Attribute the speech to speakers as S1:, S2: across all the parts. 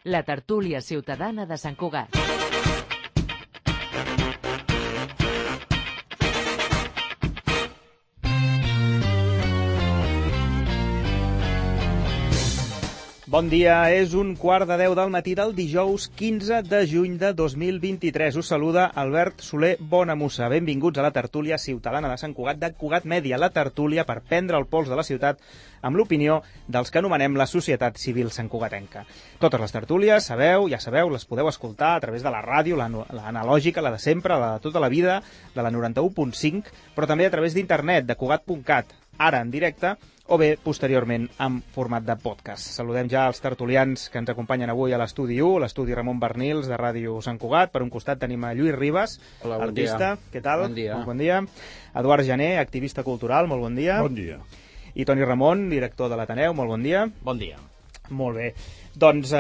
S1: La tertúlia ciutadana de Sant Cugat.
S2: Bon dia, és 9:15 del matí del dijous 15 de juny de 2023. Us saluda Albert Soler Bonamussa. Benvinguts a la tertúlia ciutadana de Sant Cugat, de Cugat Mèdia, la tertúlia per prendre el pols de la ciutat amb l'opinió dels que anomenem la societat civil santcugatenca. Totes les tertúlies, ja sabeu, les podeu escoltar a través de la ràdio, l'analògica, la de sempre, la de tota la vida, de la 91.5, però també a través d'internet, de cugat.cat, ara en directe, o bé, posteriorment, en format de podcast. Saludem ja els tertulians que ens acompanyen avui a l'estudi 1, l'estudi Ramon Bernils, de Ràdio Sant Cugat. Per un costat tenim a Lluís Ribas,
S3: hola, bon
S2: artista.
S3: Dia.
S2: Què tal?
S3: Bon dia.
S2: Molt bon dia. Eduard Jané, activista cultural. Molt bon dia.
S4: Bon dia.
S2: I Toni Ramon, director de l'Ateneu. Molt bon dia.
S3: Bon dia.
S2: Molt bé. Doncs,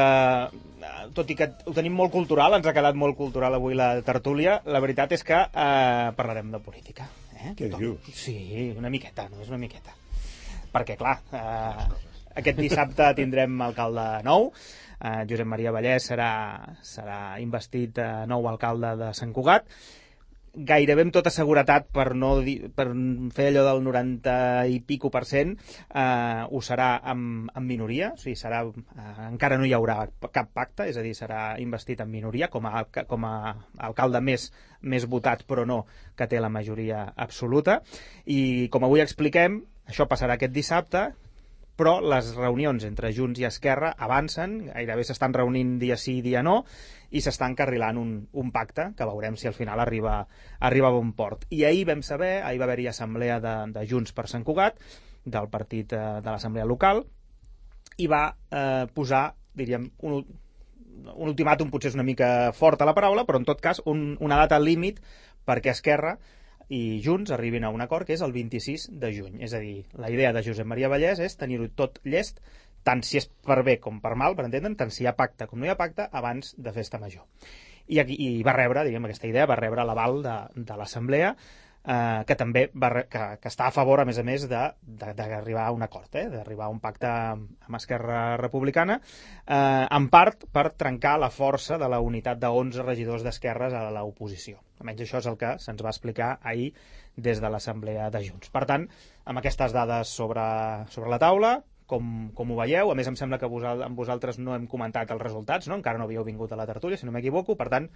S2: tot i que ho tenim molt cultural, ens ha quedat molt cultural avui la tertúlia, la veritat és que parlarem de política.
S4: Què dius?
S2: Sí, una miqueta, només una miqueta. Perquè, clar, aquest dissabte tindrem alcalde nou. Josep Maria Vallès serà investit nou alcalde de Sant Cugat. Gairebé amb tota seguretat, per fer allò del 90 i pico %, ho serà amb minoria, o sigui, encara no hi haurà cap pacte, és a dir, serà investit en minoria com a alcalde més votat, però no que té la majoria absoluta. I com avui expliquem, això passarà aquest dissabte, però les reunions entre Junts i Esquerra avancen, gairebé s'estan reunint dia sí, dia no, i s'està encarrilant un pacte, que veurem si al final arriba a bon port. I ahir va haver-hi assemblea de Junts per Sant Cugat, del partit de l'assemblea local, i va posar, diríem, un ultimàtum, potser és una mica forta la paraula, però en tot cas una data límit perquè Esquerra i Junts arribin a un acord, que és el 26 de juny. És a dir, la idea de Josep Maria Vallès és tenir-ho tot llest, tant si és per bé com per mal, per entendre'n, tant si hi ha pacte com no hi ha pacte, abans de festa major. I va rebre, diguem, aquesta idea va rebre l'aval de l'Assemblea, que també que està a favor, a més, d'arribar a un acord, d'arribar a un pacte amb Esquerra Republicana, en part per trencar la força de la unitat de 11 regidors d'Esquerres a l'oposició. Almenys això és el que se'ns va explicar ahir des de l'Assemblea de Junts. Per tant, amb aquestes dades sobre la taula, com ho veieu, a més em sembla que amb vosaltres no hem comentat els resultats, no? Encara no havíeu vingut a la tertúlia, si no m'equivoco, per tant,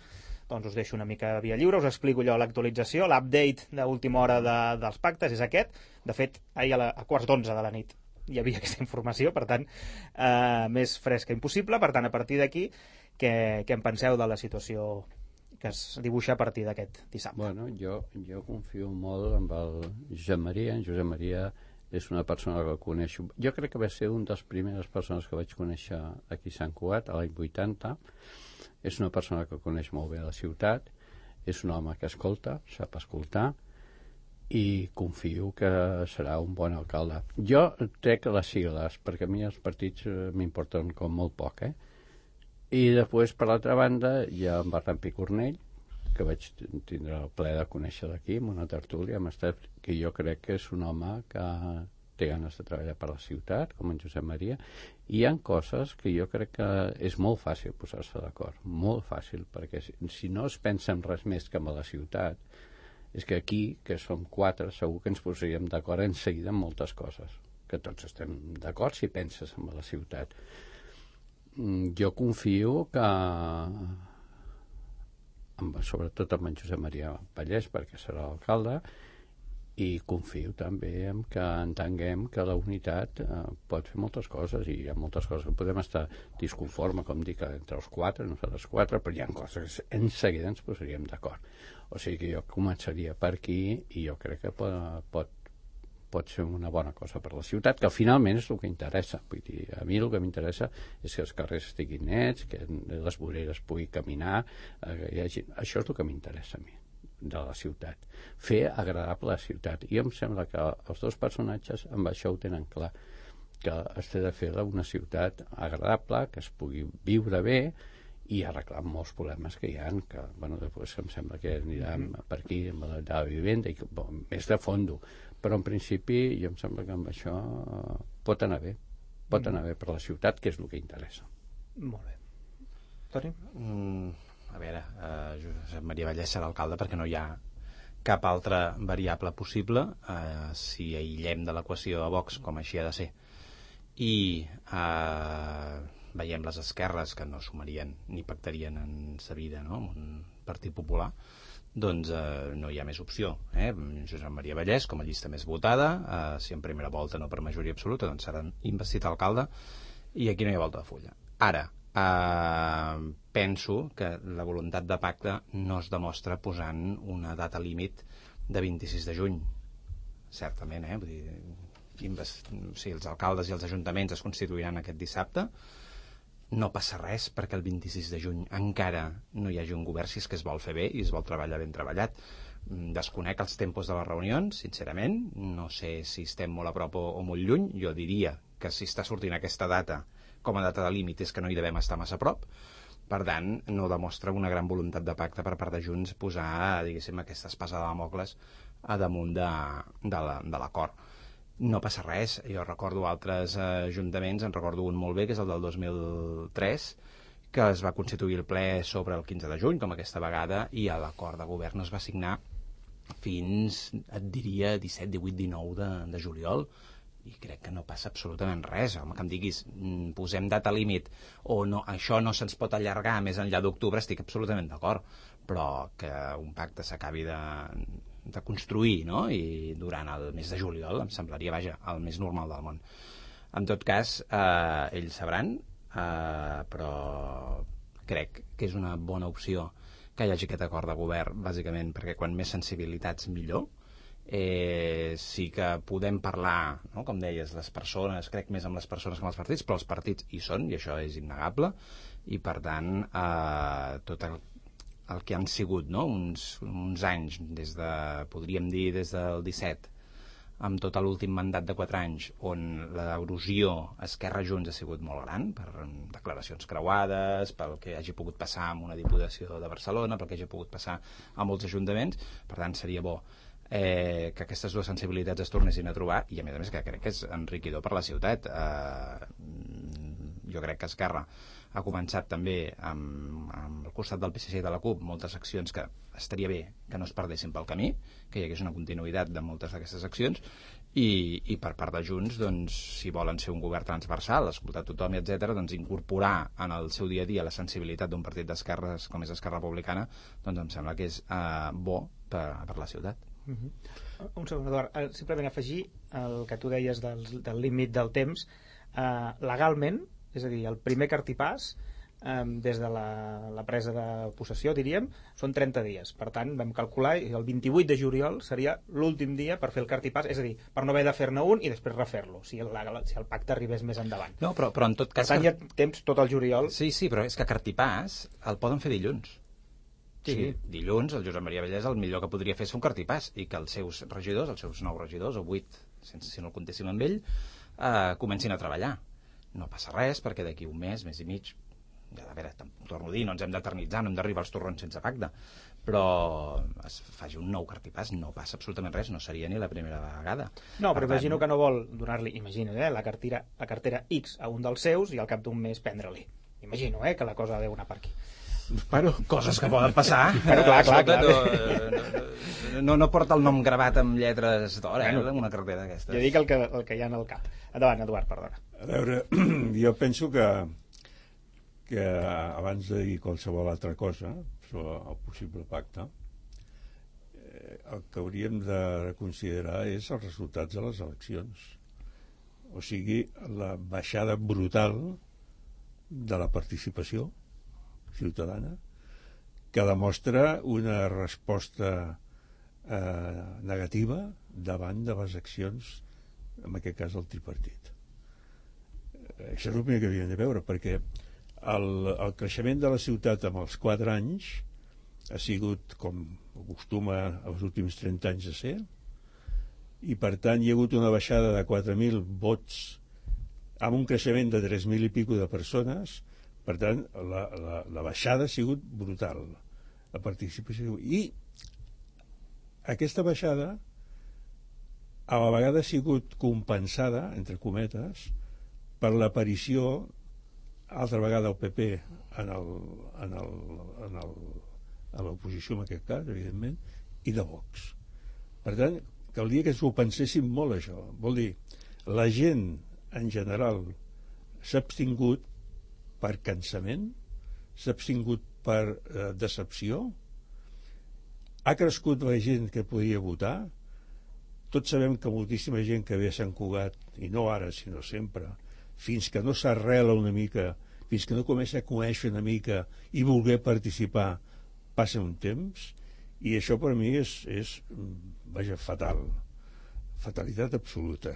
S2: doncs us deixo una mica via lliure, us explico jo l'actualització, l'update d'última hora dels pactes és aquest. De fet, ahir a 11:15 de la nit hi havia aquesta informació, per tant, més fresca impossible. Per tant, a partir d'aquí, què en penseu de la situació que es dibuixa a partir d'aquest dissabte?
S3: Bueno, jo confio molt en el Josep Maria. En Josep Maria és una persona que coneixo. Jo crec que va ser una de les primeres persones que vaig conèixer aquí a Sant Cugat, a l'any 80. És una persona que coneix molt bé la ciutat, és un home que escolta, sap escoltar, i confio que serà un bon alcalde. Jo trec les sigles, perquè a mi els partits m'importen com molt poc, I després, per l'altra banda, hi ha en Bertran Picornell, que vaig tindre el plaer de conèixer d'aquí, en una tertúlia, que jo crec que és un home que té ganes de treballar per la ciutat, com en Josep Maria, i hi ha coses que jo crec que és molt fàcil posar-se d'acord, molt fàcil, perquè si no es pensa en res més que en la ciutat, és que aquí, que som 4, segur que ens posaríem d'acord en seguida en moltes coses, que tots estem d'acord si penses en la ciutat. Jo confio que sobretot amb en Josep Maria Vallès, perquè serà l'alcalde, i confio també en que entenguem que la unitat pot fer moltes coses, i hi ha moltes coses que podem estar disconforme, com dic, entre els 4, nosaltres 4, però hi ha coses que en seguida ens posaríem d'acord. O sigui que jo començaria per aquí, i jo crec que pot ser una bona cosa per la ciutat, que finalment és el que interessa. Vull dir, a mi el que m'interessa és que els carrers estiguin nets, que les voreres pugui caminar, això és el que m'interessa a mi de la ciutat, fer agradable la ciutat. I em sembla que els dos personatges amb això ho tenen clar, que es té de fer una ciutat agradable, que es pugui viure bé i arreglar molts problemes que hi ha, que després em sembla que anirem per aquí amb la vivenda i més de fondo, però en principi jo em sembla que amb això pot anar bé per la ciutat, que és el que interessa.
S2: Molt bé. Toni?
S4: A veure, Josep Maria Vallès serà alcalde perquè no hi ha cap altra variable possible si aïllem de l'equació a Vox, com així ha de ser, i veiem les esquerres que no sumarien ni pactarien en sa vida, no?, amb un partit popular, doncs no hi ha més opció. Josep Maria Vallès, com a llista més votada, si en primera volta no per majoria absoluta, doncs serà investit alcalde, i aquí no hi ha volta de fulla. Ara, penso que la voluntat de pacte no es demostra posant una data límit de 26 de juny, certament, vull dir, si els alcaldes i els ajuntaments es constituiran aquest dissabte, no passa res perquè el 26 de juny encara no hi hagi un govern, si és que es vol fer bé i es vol treballar ben treballat. Desconec els tempos de les reunions, sincerament, no sé si estem molt a prop o molt lluny. Jo diria que si està sortint aquesta data com a data de límit és que no hi devem estar massa a prop. Per tant, no demostra una gran voluntat de pacte per part de Junts posar, diguéssim, aquesta espasa de Damocles a damunt de l'acord. No passa res, jo recordo altres ajuntaments, en recordo un molt bé, que és el del 2003, que es va constituir el ple sobre el 15 de juny, com aquesta vegada, i l'acord de govern es va signar fins, et diria, 17, 18, 19 de juliol, i crec que no passa absolutament res. Home, que em diguis, posem data límit, o no, això no se'ns pot allargar més enllà d'octubre, estic absolutament d'acord, però que un pacte s'acabi de construir, no?, i durant el mes de juliol em semblaria, vaja, el més normal del món. En tot cas, ells sabran, però crec que és una bona opció que hi hagi aquest acord de govern, bàsicament perquè quan més sensibilitats millor. Sí que podem parlar, no?, com deies, les persones, crec més amb les persones que amb els partits, però els partits hi són, i això és innegable, i per tant tot el que han sigut, no?, uns anys, podríem dir des del 17, amb tot l'últim mandat de 4 anys, on l'erosió Esquerra-Junts ha sigut molt gran, per declaracions creuades, pel que hagi pogut passar amb una diputació de Barcelona, pel que hagi pogut passar a molts ajuntaments. Per tant, seria bo que aquestes dues sensibilitats es tornessin a trobar, i a més que crec que és enriquidor per la ciutat. Jo crec que Esquerra ha començat també amb el costat del PSC i de la CUP moltes accions que estaria bé que no es perdessin pel camí, que hi hagués una continuïtat de moltes d'aquestes accions, i per part de Junts, doncs, si volen ser un govern transversal, escoltar tothom, etc., doncs incorporar en el seu dia a dia la sensibilitat d'un partit d'esquerres com és Esquerra Republicana, doncs em sembla que és bo per la ciutat.
S2: Un segon, Eduard, simplement afegir el que tu deies del límit del temps. Legalment, és a dir, el primer cartipàs des de la presa de possessió, diríem, són 30 dies. Per tant, vam calcular i el 28 de juliol seria l'últim dia per fer el cartipàs, és a dir, per no haver de fer-ne un i després refer-lo, si el pacte arribés més endavant.
S4: No, però en tot cas...
S2: Per tant, hi ha temps tot el juliol.
S4: Sí, però és que cartipàs el poden fer dilluns. Sí. O sigui, dilluns el Josep Maria Vallès el millor que podria fer és un cartipàs i que els seus regidors, els seus 9 regidors o 8, si no el comptéssim amb ell, comencin a treballar. No passa res perquè d'aquí un mes i mig, a veure, torno a dir, no ens hem d'eternitzar, no hem d'arribar als torrons sense pacte, però es faci un nou cartipàs, no passa absolutament res, no seria ni la primera vegada.
S2: No, però imagino que no vol donar-li, la cartera X a un dels seus i al cap d'un mes prendre-li. Imagino, que la cosa ha d'anar per aquí.
S4: Bueno, coses que poden passar.
S2: Bueno, clar.
S4: No porta el nom gravat amb lletres d'or, una cartera d'aquestes.
S2: Jo dic el que hi ha en el cap. Endavant, Eduard, perdona.
S5: A veure, jo penso que abans de dir qualsevol altra cosa sobre el possible pacte, el que hauríem de reconsiderar és els resultats de les eleccions. O sigui, la baixada brutal de la participació ciutadana, que demostra una resposta negativa davant de les accions, en aquest cas del tripartit. Això és el primer que hauríem de veure, perquè el creixement de la ciutat en els 4 anys ha sigut com acostuma els últims 30 anys a ser, i per tant hi ha hagut una baixada de 4.000 vots amb un creixement de 3.000 i pico de persones. Per tant, la baixada ha sigut brutal, la participació. I aquesta baixada a la vegada ha sigut compensada, entre cometes, per l'aparició altra vegada el PP a l'oposició en aquest cas, evidentment, i de Vox. Per tant, caldria que s'ho penséssim molt, això. Vol dir, la gent en general s'ha abstingut per cansament, s'ha abstingut per decepció, ha crescut la gent que podia votar. Tots sabem que moltíssima gent que ve a Sant Cugat, i no ara sinó sempre, fins que no s'arrela una mica, fins que no comença a conèixer una mica i voler participar, passa un temps, i això per mi és vaja, fatal, fatalitat absoluta.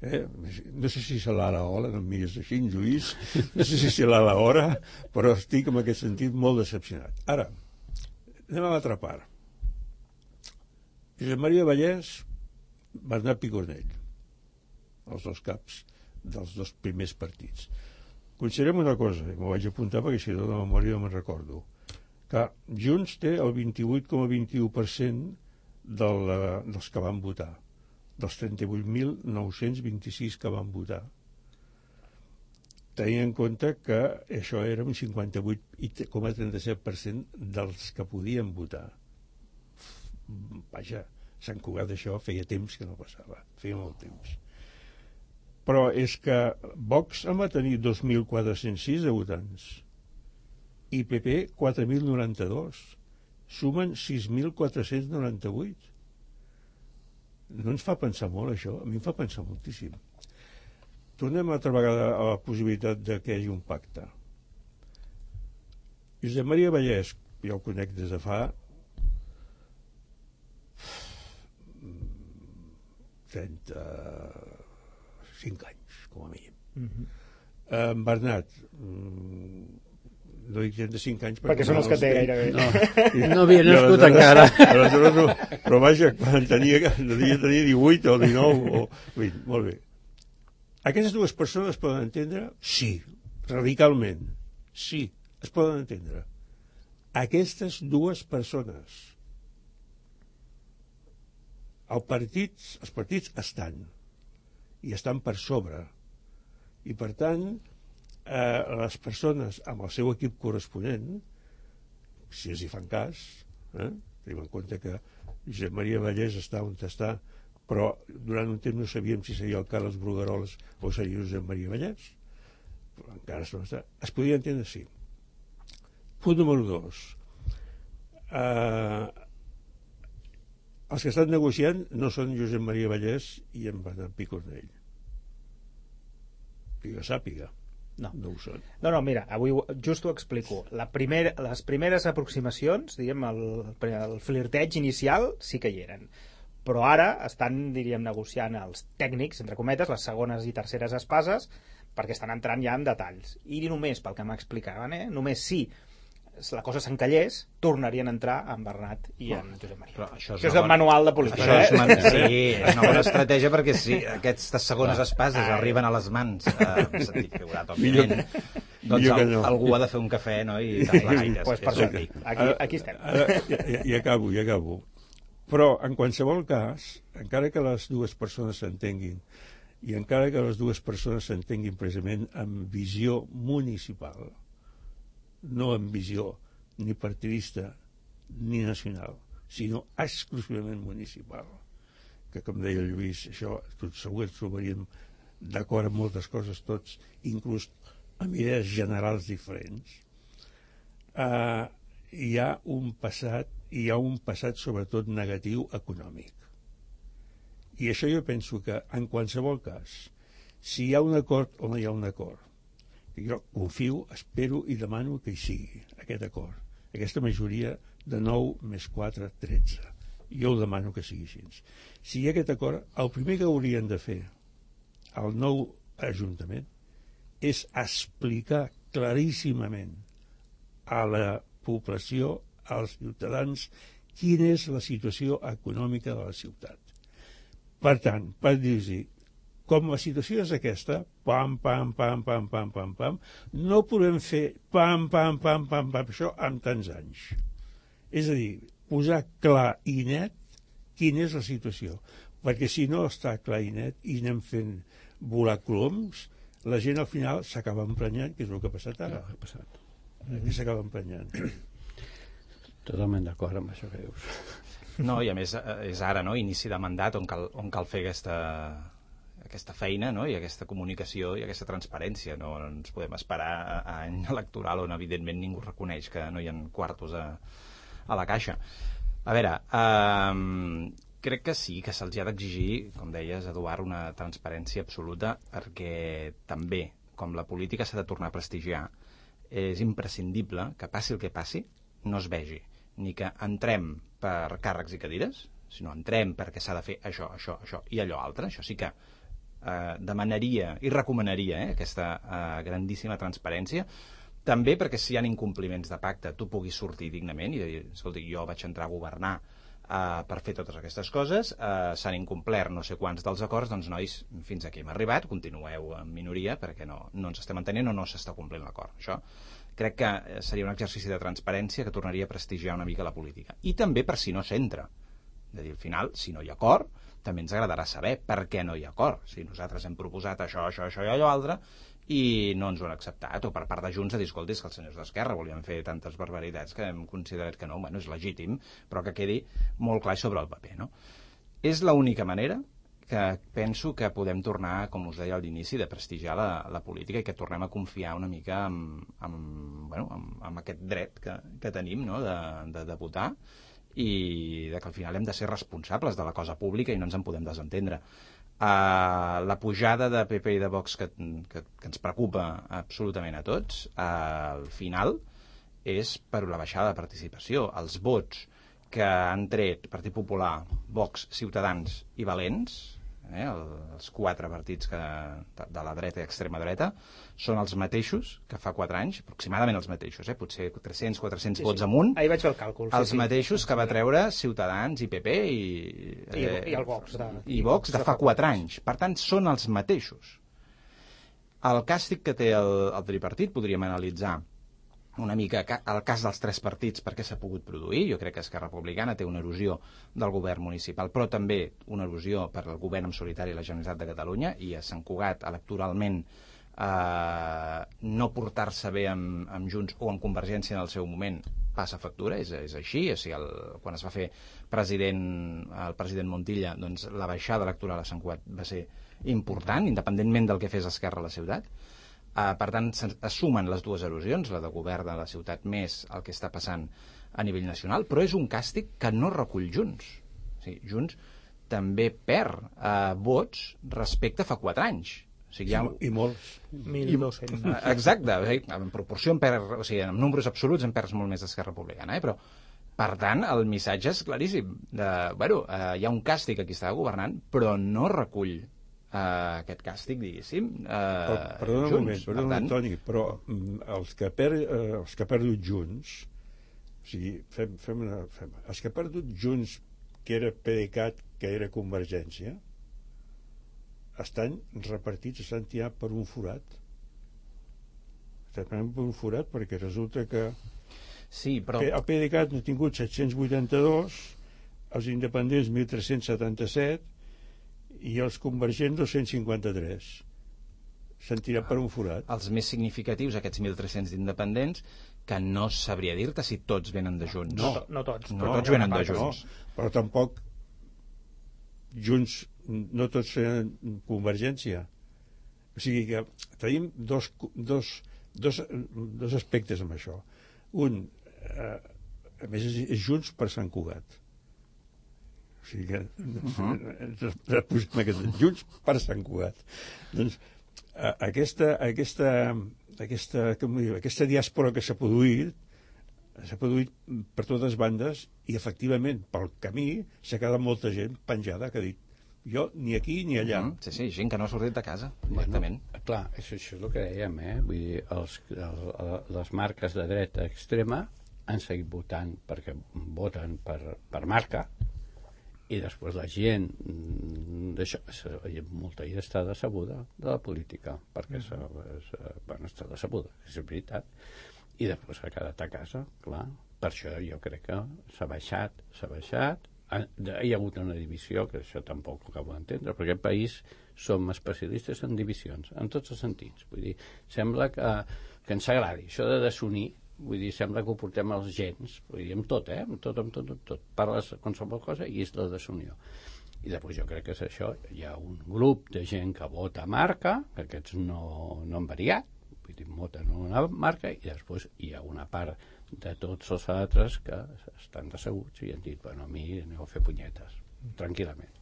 S5: No sé si serà l'hora, no em mires així, Lluís, no sé si serà l'hora, però estic en aquest sentit molt decepcionat. Ara, anem a l'altra part. Josep Maria Vallès, Bernat Picornell, els dos caps dels dos primers partits. Considerem una cosa, i m'ho vaig apuntar perquè si no de memòria no me'n recordo, que Junts té el 28,21% dels que van votar, dels 38.926 que van votar. Tenint en compte que això era un 58,37% dels que podien votar. Vaja, Sant Cugat això feia temps que no passava, feia molt temps. Però és que Vox en va tenir 2.406 de votants i PP 4.092, sumen 6.498. No ens fa pensar molt això? A mi em fa pensar moltíssim. Tornem altra vegada a la possibilitat de que hi hagi un pacte. Josep Maria Vallès, jo el conec des de fa 35 anys, com a mínim. Bernat, no dic 35 anys
S2: perquè són els que té gairebé.
S3: No havia nascut encara.
S5: Però vaja, quan tenia 18 o 19 o 20, molt bé. Aquestes dues persones es poden entendre? Sí, radicalment. Sí, es poden entendre. Aquestes dues persones. Els partits estan, i estan per sobre. I per tant, les persones amb el seu equip corresponent, si els hi fan cas, tenim en compte que Josep Maria Vallès està on està, però durant un temps no sabíem si seria el Carles Brugueroles o seria Josep Maria Vallès, però encara no està. Es podia entendre, sí. Punt número 2. Els que estan negociant no són Josep Maria Vallès i en Bernat Picornell. Que jo sàpiga. No ho són.
S2: No, mira, avui just ho explico. Les primeres aproximacions, diguem, el flirteig inicial sí que hi eren. Però ara estan, diríem, negociant els tècnics, entre cometes, les segones i terceres espases, perquè estan entrant ja en detalls. I només, pel que m'explicaven, només si la cosa s'encallés, tornarien a entrar en Bernat i en Josep Maria. Això és el manual de política.
S4: Sí, és una bona estratègia perquè si aquestes segones espases arriben a les mans, en sentit figurat, òbviament, doncs algú ha de fer un cafè, no? I tastar gaires.
S2: Pues per això, aquí estem.
S5: I acabo. Però, en qualsevol cas, encara que les dues persones s'entenguin i encara que les dues persones s'entenguin precisament amb visió municipal, no amb visió ni partidista ni nacional, sinó exclusivament municipal, que com deia el Lluís, això tot segur ens trobaríem d'acord amb moltes coses tots, inclús amb idees generals diferents. Hi ha un passat sobretot negatiu econòmic, i això jo penso que en qualsevol cas, si hi ha un acord o no hi ha un acord, jo confio, espero i demano que hi sigui aquest acord, aquesta majoria de 9 més 4, 13. Jo ho demano que sigui així. Si hi ha aquest acord, el primer que haurien de fer al nou Ajuntament és explicar claríssimament a la població, als ciutadans, quina és la situació econòmica de la ciutat. Per tant, per dir-los, com la situació és aquesta, pam, no podem fer pam, això amb tants anys. És a dir, posar clar i net quina és la situació. Perquè si no està clar i net i anem fent volar coloms, la gent al final s'acaba emprenyant, que és el que ha passat ara. Aquí s'acaba emprenyant.
S3: Totalment d'acord amb això que dius.
S4: No, i a més és ara, no?, inici de mandat on cal fer aquesta feina, no?, i aquesta comunicació i aquesta transparència. No ens podem esperar a any electoral on evidentment ningú reconeix que no hi ha quartos a la caixa. A veure, crec que sí, que se'ls ha d'exigir, com deies, Eduard, una transparència absoluta, perquè també, com la política s'ha de tornar a prestigiar, és imprescindible que passi el que passi, no es vegi ni que entrem per càrrecs i cadires, sinó entrem perquè s'ha de fer això i allò altre. Això sí que demanaria i recomanaria aquesta grandíssima transparència, també perquè si hi ha incompliments de pacte tu puguis sortir dignament i dir, escolti, jo vaig entrar a governar per fer totes aquestes coses, s'han incomplert no sé quants dels acords, doncs nois, fins aquí hem arribat, continueu en minoria perquè no ens estem entenent o no s'està complint l'acord. Això crec que seria un exercici de transparència que tornaria a prestigiar una mica la política. I també per si no s'entra. És a dir, al final, si no hi ha acord, també ens agradarà saber per què no hi ha acord. Si nosaltres hem proposat això i allò altre i no ens ho han acceptat, o per part de Junts a dir, escolti, és que els senyors d'Esquerra volien fer tantes barbaritats que hem considerat que no, bueno, és legítim, però que quedi molt clar sobre el paper, no? És l'única manera que penso que podem tornar, com us deia a l'inici, de prestigiar la política i que tornem a confiar una mica en aquest dret que tenim, no?, de votar, i de que al final hem de ser responsables de la cosa pública i no ens en podem desentendre. La pujada de PP i de Vox que ens preocupa absolutament a tots, al final és per la baixada de participació. Els vots que han tret Partit Popular, Vox, Ciutadans i Valents, els 4 partits de la dreta i extrema dreta, són els mateixos que fa 4 anys, aproximadament els mateixos, potser 300-400 vots amunt.
S2: Ahir vaig fer el càlcul.
S4: Els mateixos que va treure Ciutadans i PP
S2: i el Vox.
S4: I Vox de fa 4 anys. Per tant, són els mateixos. El càstig que té el tripartit podríem analitzar una mica el cas dels 3 partits perquè s'ha pogut produir. Jo crec que Esquerra Republicana té una erosió del govern municipal, però també una erosió per al govern en solitari i la Generalitat de Catalunya, i a Sant Cugat electoralment no portar-se bé amb Junts o amb Convergència en el seu moment passa factura, és així. O sigui, quan es va fer el president Montilla, doncs la baixada electoral a Sant Cugat va ser important, independentment del que fes Esquerra a la ciutat. Per tant, es sumen les dues erosions, la de govern de la ciutat més el que està passant a nivell nacional, però és un càstig que no recull Junts. O sigui, Junts també perd vots respecte a fa 4 anys. O sigui,
S5: I molts.
S2: 1.200.
S4: Exacte, en proporció en números absoluts en perds molt més d'Esquerra Republicana, però per tant el missatge és claríssim. Hi ha un càstig a qui està governant, però no recull aquest càstig, diguéssim,
S5: perdona un moment, Toni, però els que ha perdut Junts, o sigui, els que ha perdut Junts, que era PDeCAT, que era Convergència, estan repartits, estan tirats per un forat. Estan per un forat perquè resulta que
S4: sí, però
S5: el PDeCAT n'ha tingut 782, els independents 1.377 i els convergents 253. S'han tirat per un forat.
S4: Els més significatius, aquests 1.300 d'independents, que no sabria dir-te si tots venen de Junts.
S2: No tots.
S4: No tots venen de Junts.
S5: Però tampoc Junts, no tots tenen Convergència. O sigui que tenim dos aspectes amb això. Un, a més, és Junts per Sant Cugat. O sigui que Junts per Sant Cugat. Doncs aquesta diàspora que s'ha produït per totes bandes, i efectivament pel camí s'ha quedat molta gent penjada que ha dit jo ni aquí ni allà.
S4: Sí, gent que no ha sortit de casa directament.
S3: Clar, això és el que dèiem, vull dir, les marques de dreta extrema han seguit votant perquè voten per marca, i després la gent molta gent està decebuda de la política perquè està decebuda, és veritat, i després s'ha quedat a casa, clar. Per això jo crec que s'ha baixat hi ha hagut una divisió, que això tampoc ho acabo d'entendre, però aquest país som especialistes en divisions, en tots els sentits. Vull dir, sembla que ens agradi això de desunir, vull dir, sembla que ho portem als gens, vull dir, amb tot, amb tot. Parles qualsevol cosa i és la desunió. I després jo crec que és això, hi ha un grup de gent que vota marca, que aquests no han variat, vull dir, voten una marca, i després hi ha una part de tots els altres que estan decebuts i han dit, bueno, a mi aneu a fer punyetes, tranquil·lament.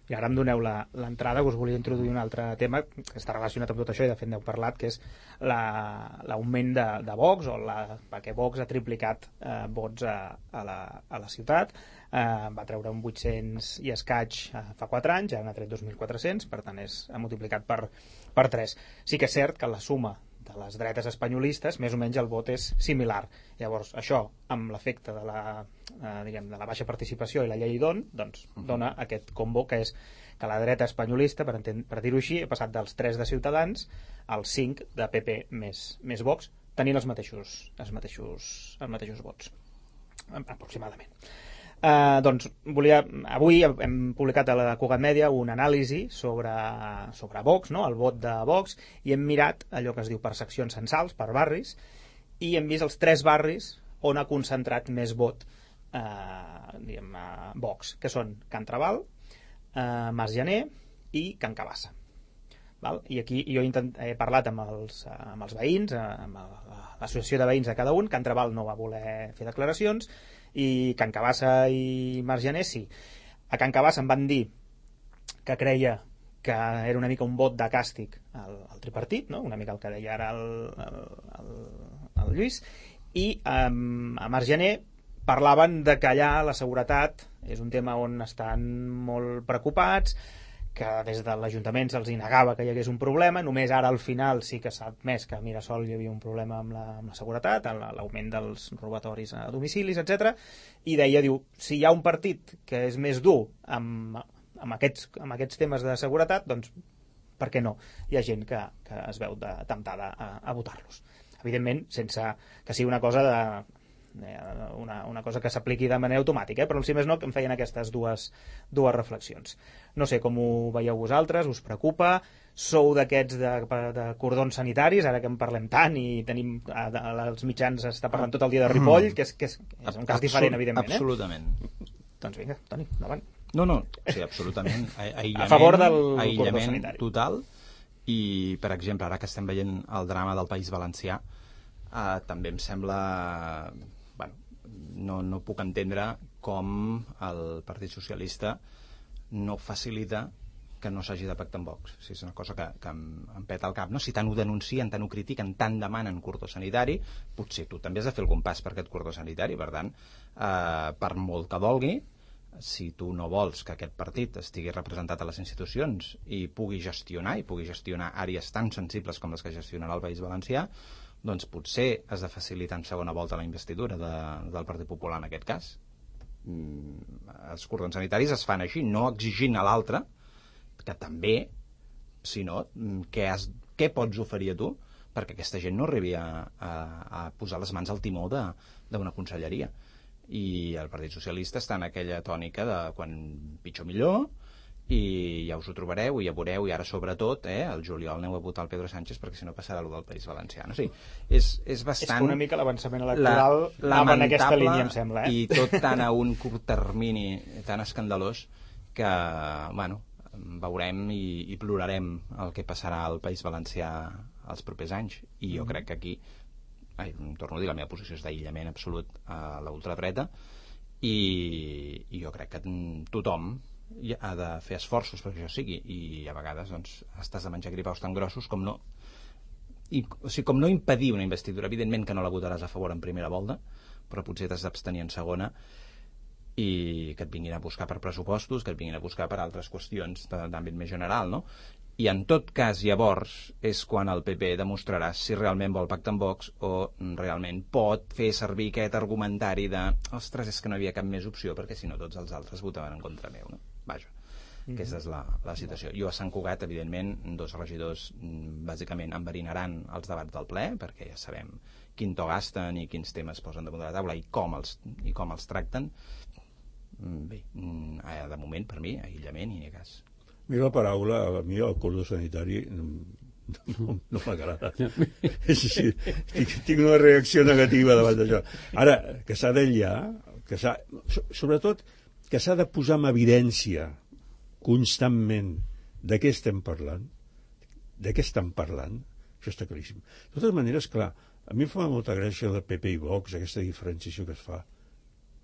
S2: I ara em doneu l'entrada, que us volia introduir un altre tema que està relacionat amb tot això, i de fet n'heu parlat, que és l'augment de Vox, perquè Vox ha triplicat vots a la ciutat, va treure un 800 i escaig fa 4 anys, ja n'ha tret 2.400, per tant ha multiplicat per 3. Sí que és cert que la suma de les dretes espanyolistes, més o menys el vot és similar. Llavors, això, amb l'efecte de la baixa participació i la llei doncs dona aquest combo que és que la dreta espanyolista, per dir-ho així, ha passat dels 3 de Ciutadans als 5 de PP més Vox, tenint els mateixos vots, aproximadament. Doncs avui hem publicat a la Cugat Mèdia una anàlisi sobre Vox, no? El vot de Vox, i hem mirat allò que es diu per seccions censals, per barris, i hem vist els 3 barris on ha concentrat més vot Vox, que són Can Trabal, Mas Janer i Can Cabassa. Val? I aquí jo he parlat amb els veïns, amb l'associació de veïns de cada un. Can Trabal no va voler fer declaracions, i Can Cabassa i Mas Janer sí. A Can Cabassa em van dir que creia que era una mica un vot de càstig al tripartit, no? Una mica el que deia ara el Lluís, i a Mas Janer parlaven de que allà la seguretat és un tema on estan molt preocupats, que des de l'Ajuntament se'ls negava que hi hagués un problema, només ara al final sí que s'ha admès que a Mirasol hi havia un problema amb la seguretat, l'augment dels robatoris a domicilis, etc. I diu, si hi ha un partit que és més dur amb aquests temes de seguretat, doncs per què no? Hi ha gent que es veu temptada a votar-los. Evidentment, sense que sigui una cosa una cosa que s'apliqui de manera automàtica, però si més no em feien aquestes dues reflexions. No sé com ho veieu vosaltres, us preocupa? Sou d'aquests de cordons sanitaris, ara que en parlem tant i tenim als mitjans està parlant tot el dia de Ripoll, que és un cas diferent, evidentment.
S4: Absolutament.
S2: Doncs vinga, Toni, endavant.
S4: No, sí, absolutament.
S2: A favor del cordó sanitari.
S4: Total. I, per exemple, ara que estem veient el drama del País Valencià, també em sembla... No puc entendre com el Partit Socialista no facilita que no s'hagi de pactar amb Vox. És una cosa que em peta el cap, no? Si tant ho denuncien, tant ho critiquen, tant demanen cordó sanitari, potser tu també has de fer algun pas per aquest cordó sanitari. Per tant, per molt que dolgui, si tu no vols que aquest partit estigui representat a les institucions i pugui gestionar àrees tan sensibles com les que gestionarà el País Valencià, doncs potser has de facilitar en segona volta la investidura del Partit Popular en aquest cas. Els cordons sanitaris es fan així, no exigint a l'altre que també, sinó què pots oferir a tu perquè aquesta gent no arribi a posar les mans al timó d'una conselleria. I el Partit Socialista està en aquella tònica de quan pitjor millor, i ja us ho trobareu i ja veureu, i ara sobretot el juliol aneu a votar el Pedro Sánchez perquè si no passarà el del País Valencià. O sigui, és bastant...
S2: És que una mica l'avançament electoral anava en aquesta línia, em sembla.
S4: I tot tan a un curt termini tan escandalós que, bueno, veurem i plorarem el que passarà al País Valencià els propers anys. I jo crec que aquí, torno a dir, la meva posició és d'aïllament absolut a la ultradreta, i jo crec que tothom ha de fer esforços perquè això sigui, i a vegades doncs estàs de menjar gripaus tan grossos com no impedir una investidura. Evidentment que no la votaràs a favor en primera volta, però potser t'has d'abstenir en segona, i que et vinguin a buscar per pressupostos, que et vinguin a buscar per altres qüestions d'àmbit més general, no? I en tot cas llavors és quan el PP demostrarà si realment vol pactar amb Vox o realment pot fer servir aquest argumentari de ostres, és que no hi havia cap més opció perquè si no tots els altres votaven en contra meu, no? Vaja, aquesta és la situació. Jo a Sant Cugat, evidentment, 2 regidors bàsicament enverinaran els debats del ple, perquè ja sabem quin to gasten i quins temes posen damunt de la taula i com els tracten. Bé, de moment, per mi, aïllament i ni cas.
S5: Mira la paraula, a mi el cordó sanitari no m'agrada. Sí, tinc una reacció negativa davant d'això. Ara, que s'ha d'aïllar, sobretot que s'ha de posar en evidència constantment de què estem parlant, això està claríssim. De totes maneres, clar, a mi em fa molta gràcia el PP i Vox, aquesta diferenciació que es fa.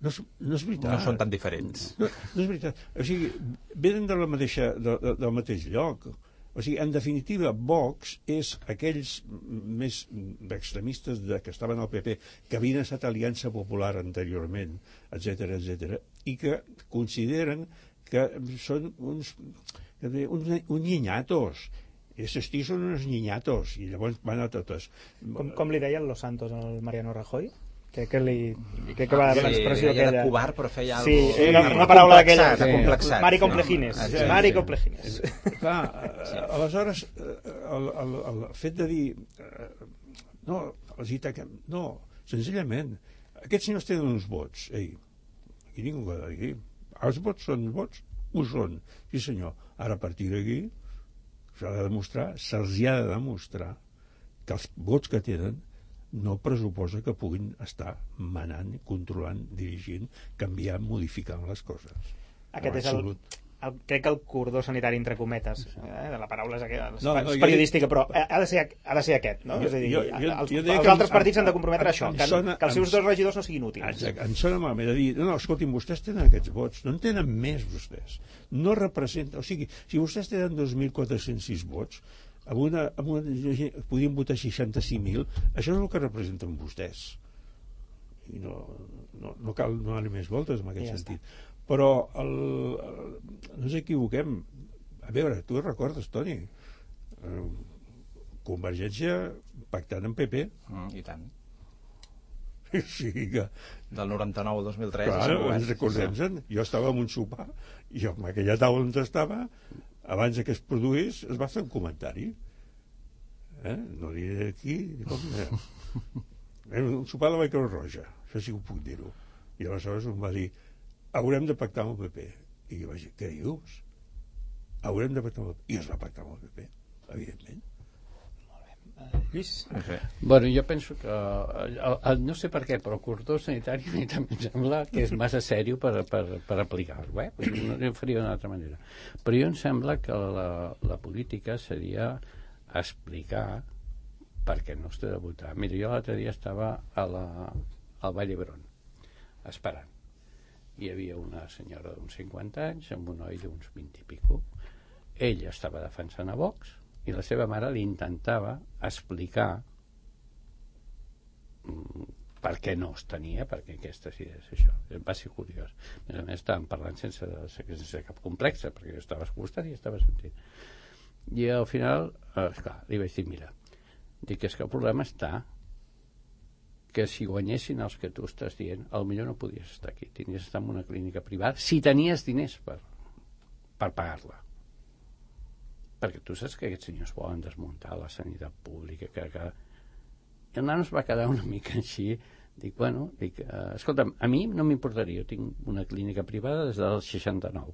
S5: No és veritat.
S4: No són tan diferents.
S5: No és veritat. O sigui, venen del mateix lloc. O sigui, en definitiva, Vox és aquells més extremistes que estaven al PP, que havien estat Aliança Popular anteriorment, etc, i que consideren que són uns niñatos. Estos tios són uns niñatos, i llavors van a totes.
S2: Com li deien Los Santos al Mariano Rajoy? Crec que va l'expressió
S4: aquella...
S2: de
S4: covard, però feia
S2: sí,
S4: alguna
S2: una paraula d'aquella.
S4: Complexat.
S2: Mari complejines. Mari complejines.
S5: Clar, aleshores, el fet de dir... No, senzillament, aquests senyors tenen uns vots. Ei, aquí ningú ho ha de dir. Els vots són vots? Ho són. Sí, senyor. Ara, a partir d'aquí, se'ls ha de demostrar que els vots que tenen no pressuposa que puguin estar manant, controlant, dirigint, canviant, modificant les coses.
S2: Aquest és crec que el cordó sanitari entre cometes, de la paraula és periodística, però ha de ser aquest, no? És a dir, els altres partits s'han de comprometre a això, que els seus dos regidors no siguin útils.
S5: Em sona malament de dir, no, escolti'm, vostès tenen aquests vots, no en tenen més vostès, no representa, o sigui, si vostès tenen 2.406 vots, podien votar 65.000, això és el que representen vostès, i no cal anar més voltes en aquest sentit. Però no ens equivoquem, a veure, tu recordes, Toni, Convergència pactant amb PP,
S4: i tant,
S5: sí que
S4: del 99 al 2003,
S5: clar, ens recordem, jo estava en un sopar i en aquella taula on estava, abans que es produís, es va fer un comentari, no diré aquí un sopar de la Creu Roja, això sí que ho puc dir-ho, i aleshores em va dir, haurem de pactar amb el PP, i jo vaig dir, què dius? Haurem de pactar amb el PP, i es va pactar amb el PP, evidentment.
S2: Lluís?
S3: Bueno, jo penso que no sé per què, però el cordó sanitari a mi també em sembla que és massa sèrio per aplicar-ho, no ho faria d'una altra manera, però jo em sembla que la política seria explicar per què no es té de votar. Mira, jo l'altre dia estava al Vall d'Hebron esperant, hi havia una senyora d'uns 50 anys amb un noi d'uns 20 i pico, ell estava defensant a Vox i la seva mare li intentava explicar per què no es tenia, perquè aquestes idees, això. Va ser curiós. A més, estàvem parlant sense cap complex, perquè jo estava escoltant i estava sentint. I al final, esclar, li vaig dir, mira, dic, és que el problema està que si guanyessin els que tu estàs dient, potser no podies estar aquí, tenies d'estar en una clínica privada, si tenies diners per pagar-la. Perquè tu saps que aquests senyors volen desmuntar la sanitat pública, que i el nano es va quedar una mica així, dic, escolta'm, a mi no m'importaria, jo tinc una clínica privada des del 69,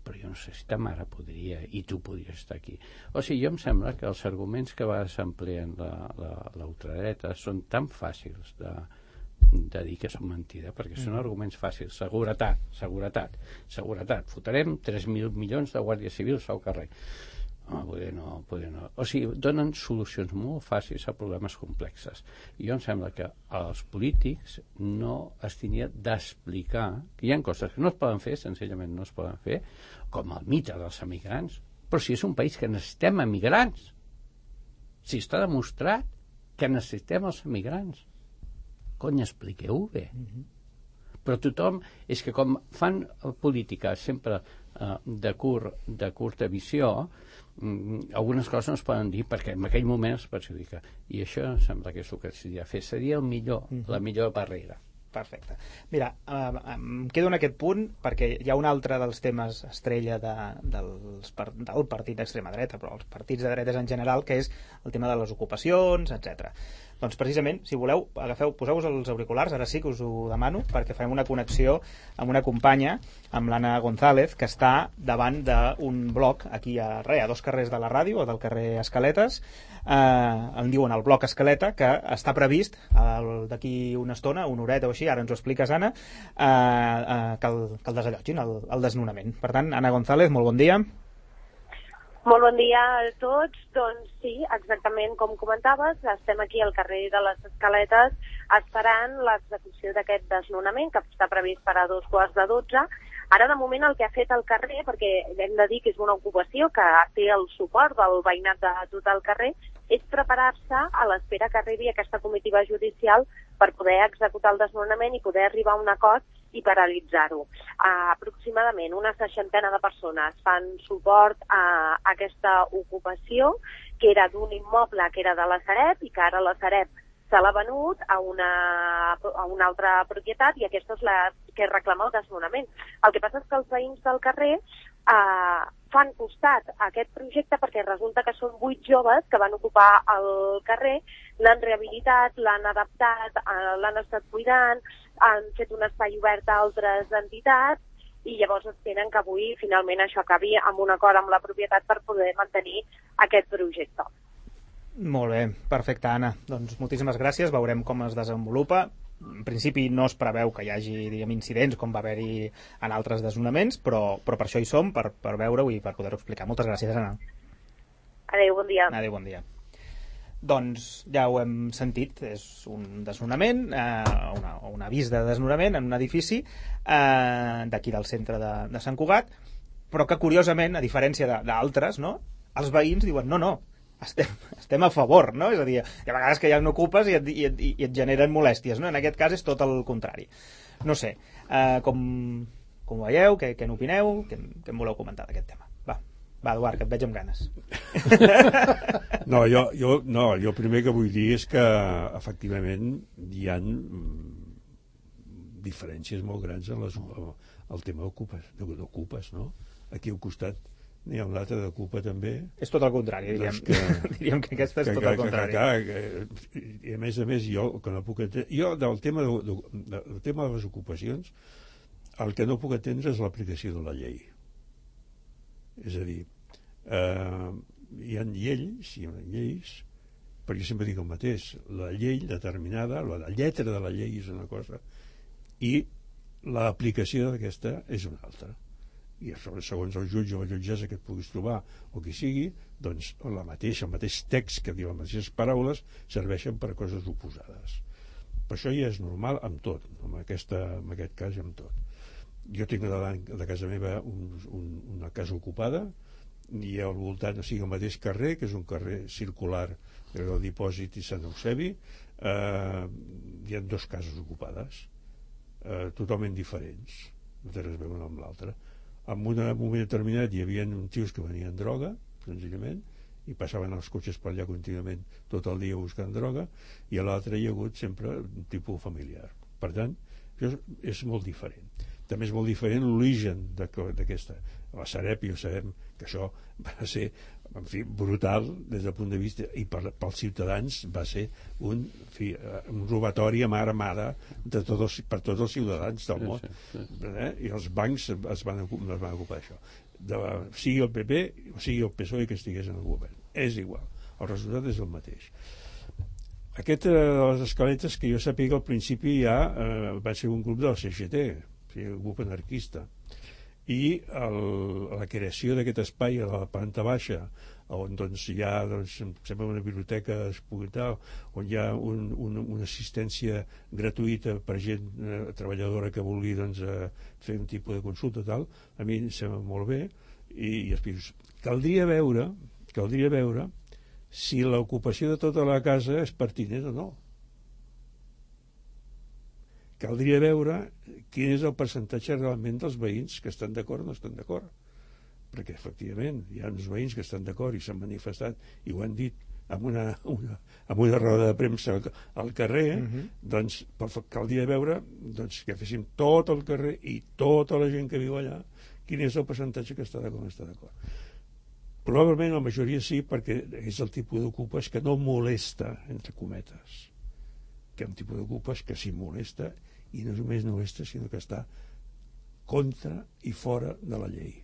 S3: però jo no sé si ta mare podria i tu podries estar aquí. O sigui, jo em sembla que els arguments que va s'empleen la ultradreta són tan fàcils de dir que són mentida, perquè són arguments fàcils. Seguretat, fotrem 3.000 milions de guàrdies civils al carrer. Poder no. O sigui, donen solucions molt fàcils a problemes complexes. I jo em sembla que els polítics no es tenia d'explicar que hi ha coses que no es poden fer, senzillament no es poden fer, com el mite dels emigrants. Però si és un país que necessitem emigrants, si està demostrat que necessitem els emigrants, cony, expliqueu-ho bé. Però tothom, és que com fan política sempre de curta visió, algunes coses no es poden dir perquè en aquell moment es perjudica, i això em sembla que és el que s'hauria de fer, seria la millor barrera.
S2: Perfecte. Mira, em quedo en aquest punt perquè hi ha un altre dels temes estrella del partit d'extrema dreta, però els partits de dretes en general, que és el tema de les ocupacions, etc. Doncs precisament, si voleu, poseu-vos els auriculars, ara sí que us ho demano, perquè farem una connexió amb una companya, amb l'Anna González, que està davant d'un bloc aquí a 2 carrers de la ràdio, o del carrer Escaletes, en diuen el bloc Escaleta, que està previst d'aquí una estona, una horeta o així, ara ens ho expliques, Anna, que el desallotgin, el desnonament. Per tant, Anna González, molt bon dia.
S6: Molt bon dia a tots. Doncs sí, exactament com comentaves, estem aquí al carrer de les Escaletes esperant l'execució d'aquest desnonament que està previst per a 2:15. Ara, de moment, el que ha fet el carrer, perquè hem de dir que és una ocupació que té el suport del veïnat de tot el carrer, és preparar-se a l'espera que arribi aquesta comitiva judicial per poder executar el desnonament i poder arribar a un acord i paralitzar-ho. Aproximadament una 60 de persones fan suport a aquesta ocupació, que era d'un immoble que era de la Sareb i que ara la Sareb se l'ha venut a una altra propietat i aquesta és la que reclama el desnonament. El que passa és que els veïns del carrer fan costat a aquest projecte perquè resulta que són 8 joves que van ocupar el carrer, l'han rehabilitat, l'han adaptat, l'han estat cuidant, han fet un espai obert a altres entitats i llavors esperen que avui finalment això acabi amb un acord amb la propietat per poder mantenir aquest projecte.
S2: Molt bé, perfecte, Anna. Doncs moltíssimes gràcies, veurem com es desenvolupa. En principi no es preveu que hi hagi, diguem, incidents com va haver-hi en altres desnonaments, però per això hi som, per veure-ho i per poder-ho explicar. Moltes gràcies, Anna.
S6: Adéu, bon dia.
S2: Adéu, bon dia. Doncs ja ho hem sentit, és un desnonament, un avís de desnonament en un edifici d'aquí del centre de Sant Cugat, però que curiosament, a diferència d'altres, no, els veïns diuen no, estem a favor, no? És a dir, hi ha vegades que ja no ocupes i et generen molèsties, no? En aquest cas és tot el contrari. No sé, com ho veieu, què n'opineu, què em voleu comentar d'aquest tema? Va, Eduard, que et veig amb ganes.
S5: Jo primer que vull dir és que efectivament hi ha diferències molt grans en el tema d'ocupes, no? Aquí al costat n'hi ha un altre d'ocupa també. És
S2: tot el contrari, diríem. Diríem que aquesta és tot el contrari.
S5: I a més, jo que no puc entendre... Jo, del tema de les ocupacions, el que no puc entendre és l'aplicació de la llei. És a dir, hi ha lleis, però jo sempre dic el mateix, la llei determinada, la lletra de la llei és una cosa i l'aplicació d'aquesta és una altra. I segons el jutge o la jutgessa que et puguis trobar o qui sigui, doncs el mateix text que diu les mateixes paraules serveixen per a coses oposades. Per això ja és normal amb tot, en aquest cas i amb tot. Jo tinc davant de casa meva una casa ocupada i al voltant, o sigui, el mateix carrer, que és un carrer circular del Dipòsit i Sant Eusebi, hi ha 2 cases ocupades totalment diferents, no té res a veure amb l'altra. En un moment determinat hi havia uns tios que venien droga, senzillament, i passaven els cotxes per allà contínuament tot el dia buscant droga, i a l'altre hi ha hagut sempre un tipus familiar. Per tant, això és molt diferent. També és molt diferent l'origen d'aquesta. La Sareb, ja sabem que això va ser, en fi, brutal des del punt de vista, i pels ciutadans va ser un robatori a mà armada per tots els ciutadans del món. I els bancs es van ocupar d'això. Sigui el PP o sigui el PSOE que estigués en el govern. És igual. El resultat és el mateix. Aquest de les Escaletes, que jo sàpiga, al principi ja va ser un grup del CGT, un grup anarquista, i la creació d'aquest espai a la planta baixa, on hi ha sembla una biblioteca on hi ha una assistència gratuïta per gent treballadora que vulgui fer un tipus de consulta tal, a mi em sembla molt bé, i caldria veure si l'ocupació de tota la casa és pertinent o no. Caldria veure quin és el percentatge realment dels veïns que estan d'acord o no estan d'acord, perquè efectivament hi ha uns veïns que estan d'acord i s'han manifestat i ho han dit amb una roda de premsa al carrer, doncs caldria veure que féssim tot el carrer i tota la gent que viu allà quin és el percentatge que està d'acord o no està d'acord. Probablement la majoria sí, perquè és el tipus d'ocupes que no molesta, entre cometes, que és un tipus d'ocupes que sí molesta, i no només no molesta, sinó que està contra i fora de la llei,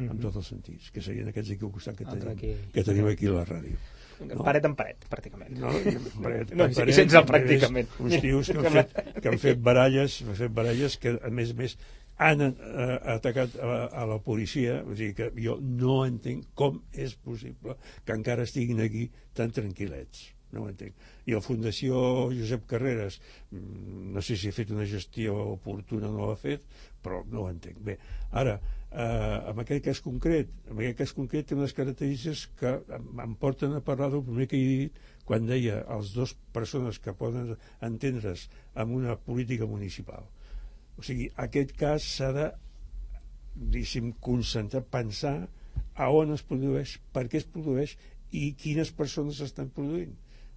S5: en tots els sentits, que serien aquests aquí al costat que tenim aquí a la ràdio.
S2: No? Paret en paret, pràcticament.
S5: No, paret,
S2: sense el pràcticament.
S5: Uns tios que han fet baralles que, a més, han atacat a la policia. O sigui que jo no entenc com és possible que encara estiguin aquí tan tranquil·lets. No ho entenc. I la Fundació Josep Carreras, no sé si ha fet una gestió oportuna o no l'ha fet, però no ho entenc. Bé, ara, en aquest cas concret té unes característiques que em porten a parlar del primer que he dit quan deia els dos persones que poden entendre's amb una política municipal. O sigui, aquest cas s'ha de, diguéssim, concentrar, pensar a on es produeix, per què es produeix i quines persones estan produint.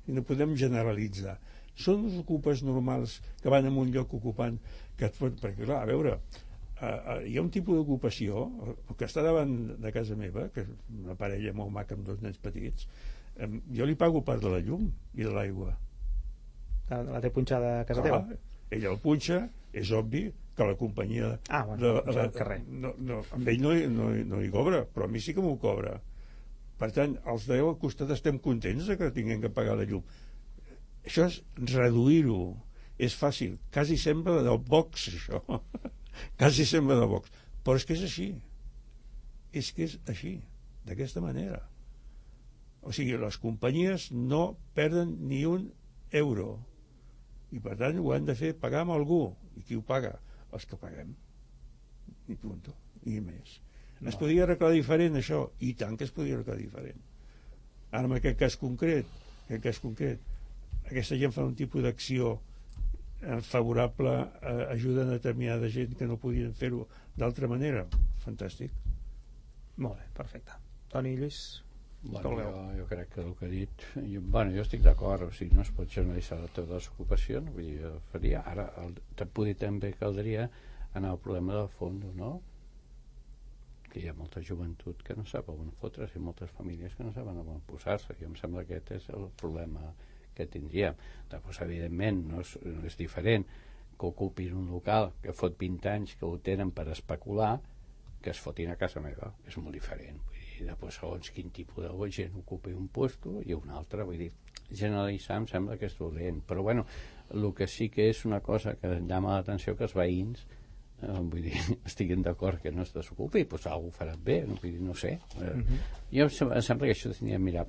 S5: I no podem generalitzar. Són els ocupes normals que van a un lloc ocupant que et pot... Perquè, clar, a veure, hi ha un tipus d'ocupació que està davant de casa meva, que és una parella molt maca amb dos nens petits, jo li pago part de la llum i de l'aigua.
S2: La té punxada a casa teva?
S5: Ella el punxa, és obvi que la companyia
S2: del carrer.
S5: Amb ell no hi cobra, però a mi sí que m'ho cobra. Per tant, els d'allò al costat estem contents que tinguem que pagar la llum. Això és reduir-ho. És fàcil. Quasi sembla del box, això. Quasi sembla del box. Però és que és així. És que és així. D'aquesta manera. O sigui, les companyies no perden ni un euro. I per tant ho han de fer pagar amb algú. I qui ho paga? Els que paguem. I punt. I més. No. Es podia arreglar diferent, això? I tant que es podia arreglar diferent. Ara, en aquest cas concret, aquesta gent fa un tipus d'acció favorable, ajuda a determinada gent que no podien fer-ho d'altra manera. Fantàstic.
S2: Molt bé, perfecte. Toni, Lluís?
S3: Bueno, jo crec que el que ha dit... Jo estic d'acord, o sigui, no es pot generalitzar totes les ocupacions, vull dir, faria... Ara, també caldria anar al problema del fons, no? Que hi ha molta joventut que no sap on fotre's i moltes famílies que no saben on posar-se. Jo em sembla que aquest és el problema que tindríem. Després, evidentment, no és diferent que ocupin un local que fot 20 anys que ho tenen per especular que es fotin a casa meva. És molt diferent. Vull dir, després, segons quin tipus de gent ocupi un puesto i un altre. Vull dir, generalitzar em sembla que és dolent. Però, bueno, el que sí que és una cosa que llama l'atenció que els veïns vull dir, estiguin d'acord que no es desocupi, doncs algú farà bé, vull dir, no sé. Jo em sembla que això tenia de mirar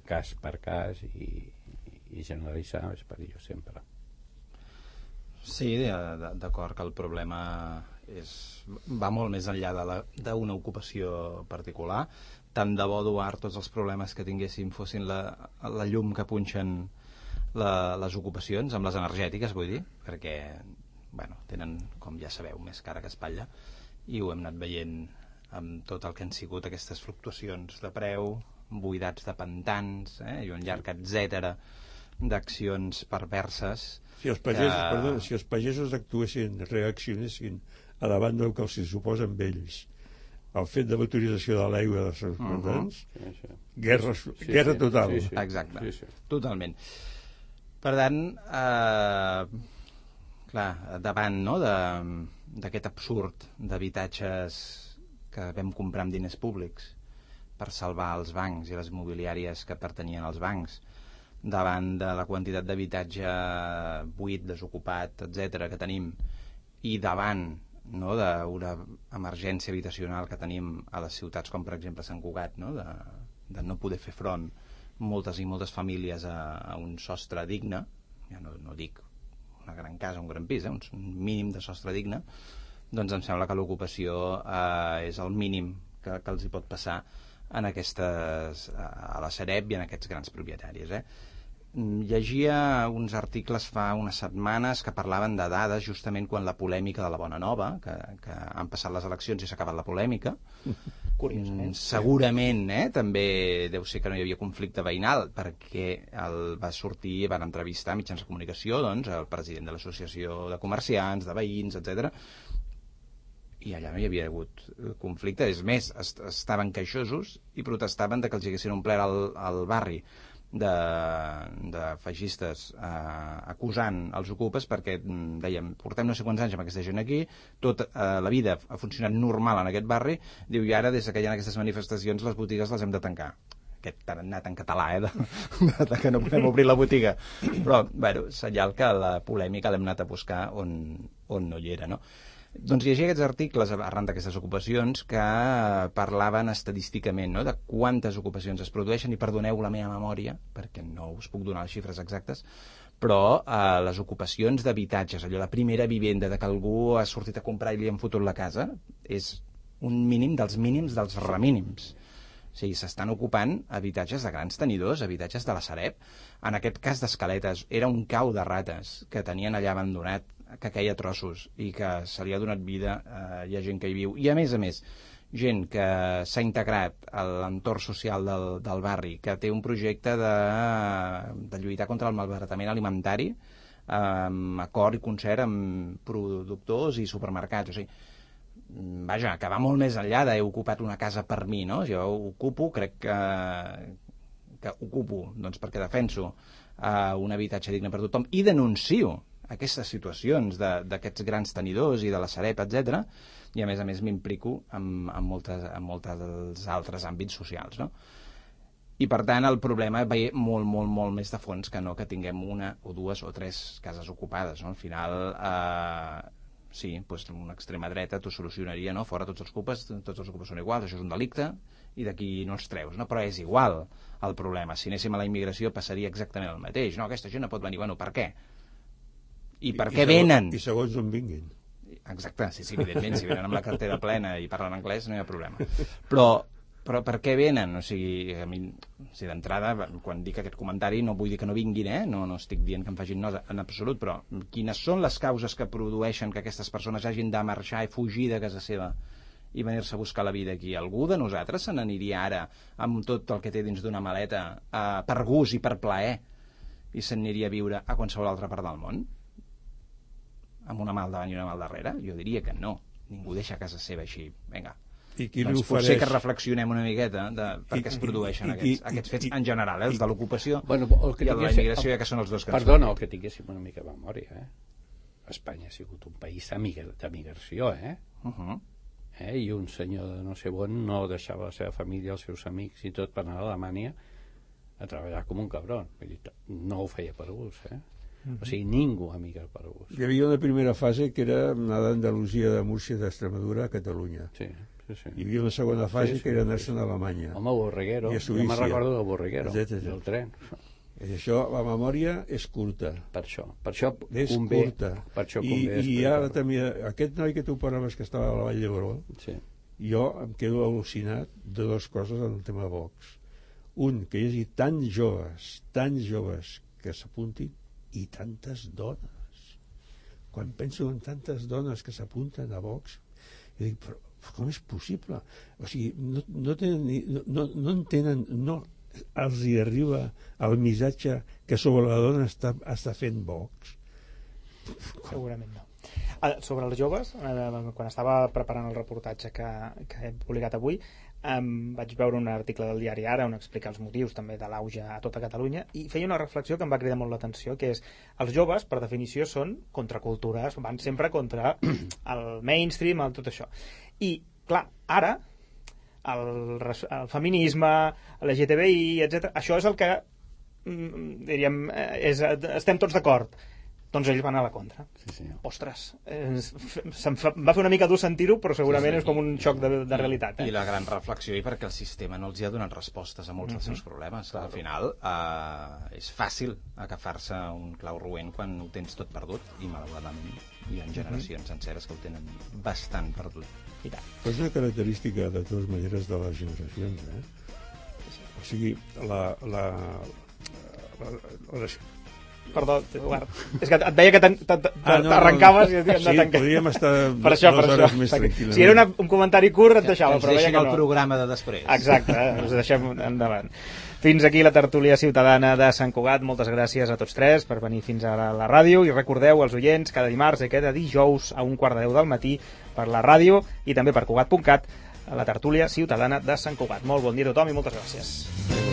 S3: cas per cas i generalitzar és perillós sempre.
S4: Sí, d'acord que el problema va molt més enllà d'una ocupació particular. Tant de bo, Eduard, tots els problemes que tinguéssim fossin la llum que punxen les ocupacions, amb les energètiques, vull dir, perquè tenen, com ja sabeu, més cara que espatlla, i ho hem anat veient amb tot el que han sigut aquestes fluctuacions de preu, buidats de pantans, i un llarg etcètera d'accions perverses.
S5: Si els pagesos actuessin, reaccionessin a davant del que els suposa amb ells, el fet de l'autorització de l'aigua dels seus pantans, guerra total.
S4: Exacte, totalment. Per tant, davant d'aquest absurd d'habitatges que vam comprar amb diners públics per salvar els bancs i les immobiliàries que pertanyien als bancs, davant de la quantitat d'habitatge buit, desocupat, etc que tenim, i davant d'una emergència habitacional que tenim a les ciutats com per exemple Sant Cugat, de no poder fer front moltes i moltes famílies a un sostre digne, ja no dic una gran casa, un gran pis, un mínim de sostre digne, doncs em sembla que l'ocupació és el mínim que els hi pot passar a la Sareb i en aquests grans propietaris. Llegia uns articles fa unes setmanes que parlaven de dades justament quan la polèmica de la Bona Nova, que han passat les eleccions i s'ha acabat la polèmica. Curiosament. Segurament també deu ser que no hi havia conflicte veïnal, perquè va sortir i van entrevistar a mitjans de comunicació el president de l'associació de comerciants, de veïns, etc. i allà no hi havia hagut conflicte. És més, estaven queixosos i protestaven de que els haguessin omplert al barri de feixistes acusant els ocupes perquè dèiem, portem no sé quants anys amb aquesta gent aquí, tota la vida ha funcionat normal en aquest barri, diu, i ara des que hi ha aquestes manifestacions les botigues les hem de tancar. Aquest tarannat en català, de que no podem obrir la botiga. Però, bueno, senyal que la polèmica l'hem anat a buscar on no hi era, no? Doncs llegia aquests articles arran d'aquestes ocupacions que parlaven estadísticament, no?, de quantes ocupacions es produeixen, i perdoneu la meva memòria, perquè no us puc donar les xifres exactes, però les ocupacions d'habitatges, allò, la primera vivenda, de que algú ha sortit a comprar i li han fotut la casa, és un mínim dels mínims dels remínims. O sigui, s'estan ocupant habitatges de grans tenidors, habitatges de la Sareb. En aquest cas d'Escaletes, era un cau de rates que tenien allà abandonat, que queia a trossos i que se li ha donat vida, hi ha gent que hi viu. I a més, gent que s'ha integrat a l'entorn social del barri, que té un projecte de lluitar contra el malbaratament alimentari, amb acord i concert amb productors i supermercats. O sigui, vaja, que va molt més enllà d'he ocupat una casa per mi, no? Jo ocupo, crec que ocupo, doncs perquè defenso un habitatge digne per tothom i denuncio aquestes situacions d'aquests grans tenidors i de la Sareb, etc. I a més m'implico en molts altres àmbits socials, no? I per tant el problema ve molt, molt, molt més de fons que no que tinguem una o dues o tres cases ocupades, no? Al final sí, doncs una extrema dreta t'ho solucionaria, no? Fora tots els ocupes són iguals, això és un delicte i d'aquí no els treus, no? Però és igual el problema. Si anéssim a la immigració passaria exactament el mateix, no? Aquesta gent no pot venir, bueno, per què? I per què venen?
S5: I segons on vinguin.
S4: Exacte, sí, evidentment, si venen amb la cartera plena i parlen anglès no hi ha problema. Però per què venen? O sigui, a mi, d'entrada, quan dic aquest comentari no vull dir que no vinguin, no estic dient que em facin nosa en absolut, però quines són les causes que produeixen que aquestes persones hagin de marxar i fugir de casa seva i venir-se a buscar la vida aquí? Algú de nosaltres se n'aniria ara amb tot el que té dins d'una maleta per gust i per plaer i se n'aniria a viure a qualsevol altra part del món? Amb una mà al davant i una mà al darrere? Jo diria que no. Ningú deixa casa seva així. Vinga.
S5: I qui
S4: doncs potser que reflexionem una miqueta de per què es produeixen aquests fets en general, els de l'ocupació i el de la immigració, ja que són els dos que ens
S3: Perdona, el que tinguéssim una mica de memòria, Espanya ha sigut un país d'emigració, i un senyor de no sé on no deixava la seva família, els seus amics i tot per anar a Alemanya a treballar com un cabron. No ho feia per gust, O sigui, ningú ha migrat per gust.
S5: Hi havia una primera fase que era anar d'Andalusia, de Múrcia, d'Extremadura a Catalunya.
S3: Sí.
S5: Hi havia una segona fase que era anar-se'n a Alemanya.
S3: Home, Borreguero.
S5: I a Suïssa.
S3: Jo me'n recordo del Borreguero, del tren.
S5: I això, la memòria és curta.
S3: Per això
S5: és
S3: convé.
S5: Curta.
S3: Per això convé.
S5: I ara també, aquest noi que tu parlaves que estava a la Vall d'Hebron, jo em quedo al·lucinat de dues coses en el tema Vox. Un, que hi hagi tants joves que s'apuntin, i tantes dones. Quan penso en tantes dones que s'apunten a Vox, jo dic, però com és possible? O sigui, no entenen, no els hi arriba el missatge que sobre la dona està fent Vox.
S2: Segurament no. Sobre els joves, quan estava preparant el reportatge que he publicat avui, vaig veure un article del diari Ara on explica els motius també de l'auge a tota Catalunya i feia una reflexió que em va cridar molt l'atenció, que és, els joves per definició són contracultures, van sempre contra el mainstream, tot això. I clar, ara el feminisme, l'LGTBI, etc., això és el que diríem, estem tots d'acord. Doncs ells van a la contra.
S3: Sí.
S2: Ostres, va fer una mica dur sentir-ho, però segurament és com un xoc de realitat.
S4: I la gran reflexió, i perquè el sistema no els hi ha donat respostes a molts dels seus problemes. Al final és fàcil agafar-se un clau roent quan ho tens tot perdut, i malauradament hi ha generacions senceres que ho tenen bastant perdut.
S5: Però és una característica de totes maneres de les generacions, O sigui,
S2: Perdó, Eduard, és que et veia que t'arrencaves i et
S5: sí, podríem estar
S2: per això.
S5: hores més tranquil·lament.
S2: Si era un comentari curt et deixava, però veia que no.
S4: El programa de després.
S2: Exacte, us deixem endavant. Fins aquí la tertúlia ciutadana de Sant Cugat. Moltes gràcies a tots tres per venir fins a la ràdio, i recordeu als oients cada dimarts i cada dijous a 1:45 del matí per la ràdio i també per Cugat.cat a la tertúlia ciutadana de Sant Cugat. Molt bon dia a tothom i moltes gràcies.